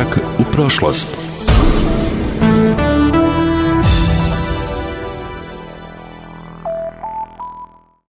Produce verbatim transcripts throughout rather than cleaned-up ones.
Korak u prošlost.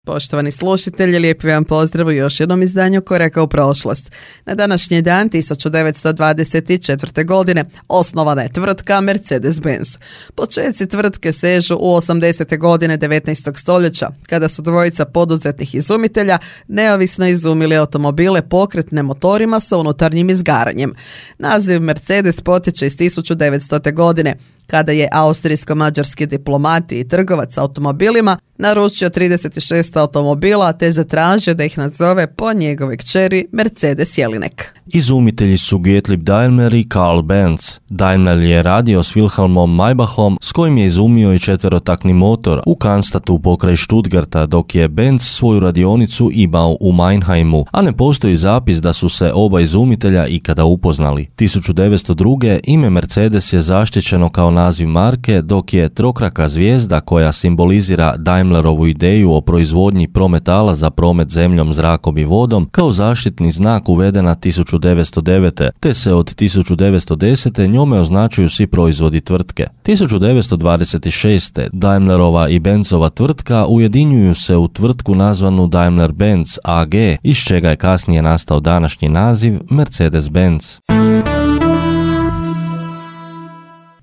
Poštovani slušatelji, lijepi vam pozdrav u još jednom izdanju Koraka u prošlost. Na današnji dan tisuću devetsto dvadeset četvrte. godine osnovana je tvrtka Mercedes-Benz. Počeci tvrtke sežu u osamdesete godine devetnaestog stoljeća, kada su dvojica poduzetnih izumitelja neovisno izumili automobile pokretne motorima sa unutarnjim izgaranjem. Naziv Mercedes potječe iz tisuću devetstote. godine, kada je austrijsko-mađarski diplomat i trgovac automobilima naručio trideset šest automobila te zatražio da ih nazove po njegovoj kćeri Mercedes Jelinek. Izumitelji su Gottlieb Daimler i Karl Benz. Daimler je radio s Wilhelmom Maybachom, s kojim je izumio i četverotakni motor u Cannstatu pokraj Stuttgarta, dok je Benz svoju radionicu imao u Meinheimu, a ne postoji zapis da su se oba izumitelja ikada upoznali. tisuću devetsto druge. ime Mercedes je zaštićeno kao naziv marke, dok je trokraka zvijezda koja simbolizira Daimlerovu ideju o proizvodnji prometala za promet zemljom, zrakom i vodom kao zaštitni znak uvedena tisuću devetsto devete. te se od tisuću devetsto desete. njome označuju svi proizvodi tvrtke. tisuću devetsto dvadeset šeste. Daimlerova i Benzova tvrtka ujedinjuju se u tvrtku nazvanu Daimler-Benz A G, iz čega je kasnije nastao današnji naziv Mercedes-Benz.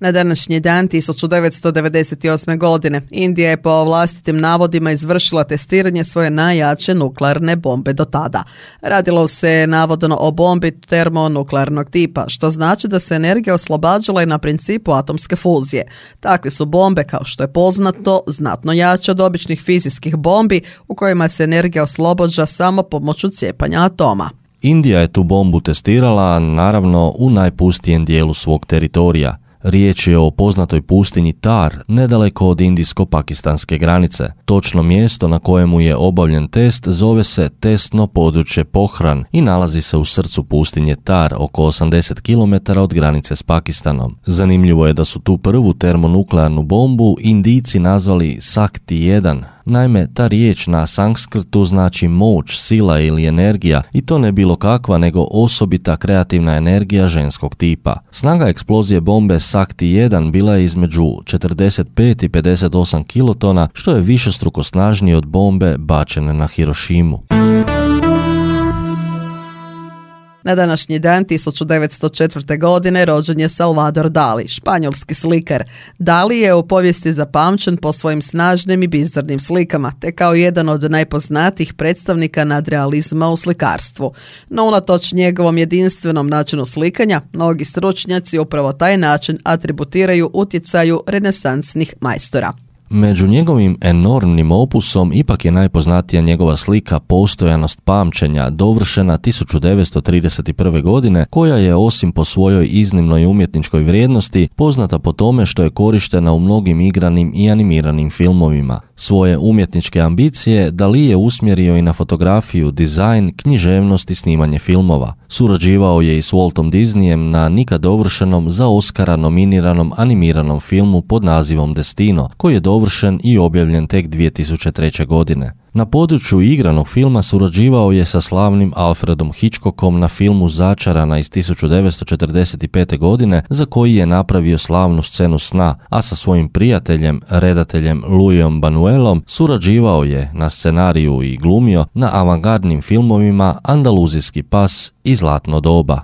Na današnji dan tisuću devetsto devedeset osme. godine Indija je po vlastitim navodima izvršila testiranje svoje najjače nuklearne bombe do tada. Radilo se navodno o bombi termonuklearnog tipa, što znači da se energija oslobađala i na principu atomske fuzije. Takve su bombe, kao što je poznato, znatno jače od običnih fizijskih bombi u kojima se energija oslobađa samo pomoću cijepanja atoma. Indija je tu bombu testirala, naravno, u najpustijem dijelu svog teritorija. Riječ je o poznatoj pustinji Tar, nedaleko od indijsko-pakistanske granice. Točno mjesto na kojemu je obavljen test zove se testno područje Pohran i nalazi se u srcu pustinje Tar, oko osamdeset kilometara od granice s Pakistanom. Zanimljivo je da su tu prvu termonuklearnu bombu Indijci nazvali Sakti jedan. Naime, ta riječ na sanskrtu znači moć, sila ili energija, i to ne bilo kakva nego osobita kreativna energija ženskog tipa. Snaga eksplozije bombe Sakti jedan bila je između četrdeset pet i pedeset osam kilotona, što je višestruko snažnije od bombe bačene na Hirošimu. Na današnji dan tisuću devetsto četvrte. godine rođen je Salvador Dali, španjolski slikar. Dali je u povijesti zapamćen po svojim snažnim i bizarnim slikama, te kao jedan od najpoznatijih predstavnika nadrealizma u slikarstvu. No unatoč njegovom jedinstvenom načinu slikanja, mnogi stručnjaci upravo taj način atributiraju utjecaju renesansnih majstora. Među njegovim enormnim opusom ipak je najpoznatija njegova slika Postojanost pamćenja, dovršena tisuću devetsto trideset prve. godine, koja je osim po svojoj iznimnoj umjetničkoj vrijednosti poznata po tome što je korištena u mnogim igranim i animiranim filmovima. Svoje umjetničke ambicije Dali je usmjerio i na fotografiju, dizajn, književnost i snimanje filmova. Surađivao je i s Waltom Disneyem na nikad dovršenom za Oscara nominiranom animiranom filmu pod nazivom Destino, koji je dovršen i objavljen tek dvije tisuće treće. godine. Na području igranog filma surađivao je sa slavnim Alfredom Hitchcockom na filmu Začarana iz tisuću devetsto četrdeset pete. godine, za koji je napravio slavnu scenu sna, a sa svojim prijateljem, redateljem Louisom Buñuelom surađivao je na scenariju i glumio na avangardnim filmovima Andaluzijski pas i Zlatno doba.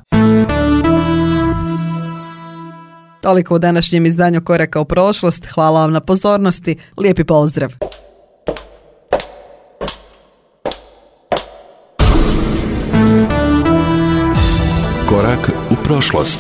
Toliko u današnjem izdanju Koraka u prošlost. Hvala vam na pozornosti. Lijepi pozdrav. Korak u prošlost.